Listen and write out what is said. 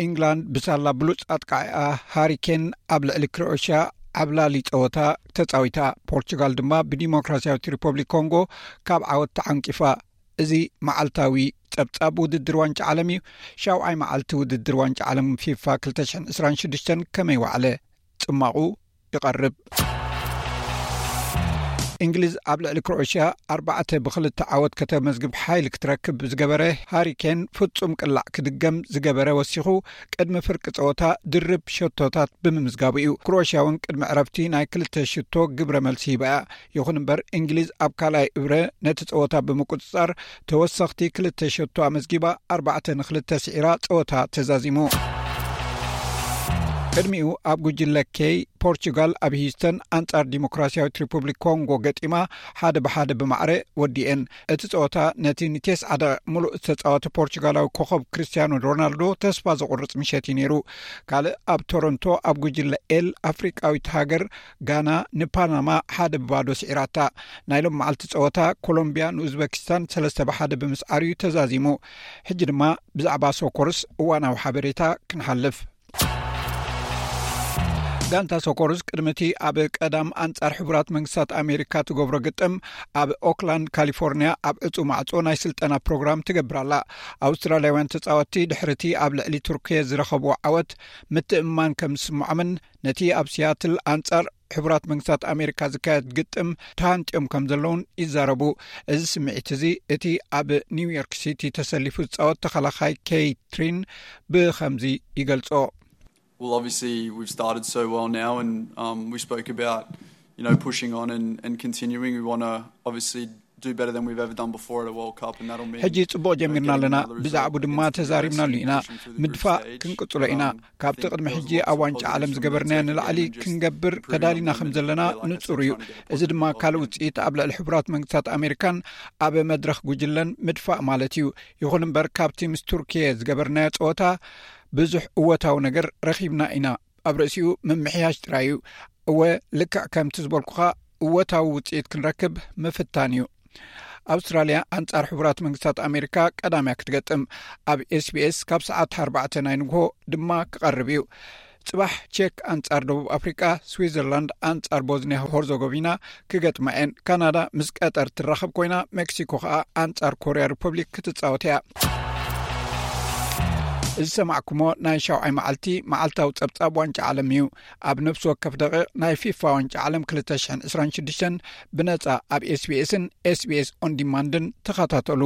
ኢንግላንድ ብሳላ ብሉጽ ኣጥቃዒኣ ሃሪኬን ኣብ ልዕሊ ክሮኤሽያ ዓብላሊ ጸወታ ተጻዊታ። ፖርቹጋል ድማ ብዲሞክራሲያዊት ሪፐብሊክ ኮንጎ ካብ ዓወት ተዓንቂፋ። እዚ መዓልታዊ ጸብጻብ ውድድር ዋንጫ ዓለም እዩ። ሻውዓይ መዓልቲ ውድድር ዋንጫ ዓለም ፊፋ ክልተ ሽሕን ዕስራን ሽዱሽተን ከመይ ዋዕለ? ጽማቑ ይቐርብ። እንግሊዝ ኣብ ልዕሊ ክሮኤሽያ ኣርባዕተ ብክልተ ዓወት ከተመዝግብ ሓይል ክትረክብ ዝገበረ ሃሪኬን ፍጹም ቅላዕ ክድገም ዝገበረ ወሲኹ፣ ቅድሚ ፍርቂ ጸወታ ድርብ ሸቶታት ብምምዝጋቡ እዩ። ክሮኤሽያ እውን ቅድሚ ዕረፍቲ ናይ ክልተ ሽቶ ግብረ መልሲ ሂባ እያ። ይኹን እምበር እንግሊዝ ኣብ ካልኣይ እብረ ነቲ ጸወታ ብምቁጽጻር ተወሰኽቲ ክልተ ሸቶ ኣመዝጊባ፣ ኣርባዕተ ንክልተ ስዒራ ጸወታ ተዛዚሙ። ቅድሚኡ ኣብ ጉጅለ ኬይ ፖርቹጋል ኣብ ሂዩስተን ኣንጻር ዲሞክራሲያዊት ሪፑብሊክ ኮንጎ ገጢማ ሓደ ብሓደ ብማዕረ ወዲኤን። እቲ ጸወታ ነቲ ንቴስዓ ደቂቕ ምሉእ ዝተጻወተ ፖርቹጋላዊ ኮኸብ ክርስቲያኖ ሮናልዶ ተስፋ ዘቑርጽ ምሸት እዩ ነይሩ። ካልእ ኣብ ቶሮንቶ ኣብ ጉጅለ ኤል ኣፍሪቃዊት ሃገር ጋና ንፓናማ ሓደ ብባዶ ስዒራታ። ናይ ሎም መዓልቲ ጸወታ ኮሎምቢያ ንኡዝበኪስታን ሰለስተ ብሓደ ብምስዓር እዩ ተዛዚሙ። ሕጂ ድማ ብዛዕባ ሶኮርስ እዋናዊ ሓበሬታ ክንሓልፍ። ጋንታ ሶኮርስ ቅድሚ እቲ ኣብ ቀዳም ኣንጻር ሕቡራት መንግስታት ኣሜሪካ ትገብሮ ግጥም ኣብ ኦክላንድ ካሊፎርኒያ ኣብ ዕጹ ማዕጾ ናይ ስልጠና ፕሮግራም ትገብር ኣላ። ኣውስትራልያውያን ተጻወትቲ ድሕርቲ ኣብ ልዕሊ ቱርኪየ ዝረኸብዎ ዓወት ምትእምማን ከም ዝስምዖምን ነቲ ኣብ ሲያትል ኣንጻር ሕቡራት መንግስታት ኣሜሪካ ዝካየድ ግጥም ተሃንጥዮም ከም ዘለውን ይዛረቡ። እዚ ስምዒት እዚ እቲ ኣብ ኒውዮርክ ሲቲ ተሰሊፉ ዝጻወት ተኸላኻይ ኬይትሪን ብኸምዚ ይገልጾ። Well, obviously, we've started so well now, and um, we spoke about, you know, pushing on and, and continuing. We want to obviously do better than we've ever done before at a World Cup, and that'll mean ሕጂ ጽቡቕ ጀሚርና ኣለና። ብዛዕቡ ድማ ተዛሪብናሉ ኢና። ምድፋእ ክንቅጽሎ ኢና። ካብቲ ቅድሚ ሕጂ ኣብ ዋንጫ ዓለም ዝገበርናዮ ንላዕሊ ክንገብር ተዳሊና ከም ዘለና ንጹር እዩ። እዚ ድማ ካልእ ውጽኢት ኣብ ልዕሊ ሕቡራት መንግስታት ኣሜሪካን ኣብ መድረኽ ጉጅለን ምድፋእ ማለት እዩ። ይኹን እምበር ካብቲ ምስ ቱርኪየ ዝገበርናዮ ጸወታ ብዙሕ እወታዊ ነገር ረኺብና ኢና። ኣብ ርእሲኡ ምምሕያሽ ጥራይ እዩ። እወ፣ ልክዕ ከምቲ ዝበልኩኻ እወታዊ ውጽኢት ክንረክብ ምፍታን እዩ። ኣውስትራልያ ኣንጻር ሕቡራት መንግስታት ኣሜሪካ ቀዳምያ ክትገጥም ኣብ ኤስቢኤስ ካብ ሰዓት ኣርባዕተ ናይ ንግሆ ድማ ክቐርብ እዩ። ጽባሕ ቼክ ኣንጻር ደቡብ ኣፍሪቃ፣ ስዊዘርላንድ ኣንጻር ቦዝኒያ ሆርዞጎቪና ክገጥማ እየን። ካናዳ ምስ ቀጠር ትራኸብ ኮይና፣ ሜክሲኮ ከኣ ኣንጻር ኮርያ ሪፐብሊክ ክትጻወት እያ። እዚ ሰማዕኩሞ ናይ ሻውዓይ መዓልቲ መዓልታዊ ጸብጻብ ዋንጫ ዓለም እዩ። ኣብ ነፍሲ ወከፍ ደቂቕ ናይ ፊፋ ዋንጫ ዓለም ክልተ ሽሕን ዕስራን ሽዱሽተን ብነጻ ኣብ ኤስቢኤስን ኤስቢኤስ ኦን ዲማንድን ተኸታተሉ።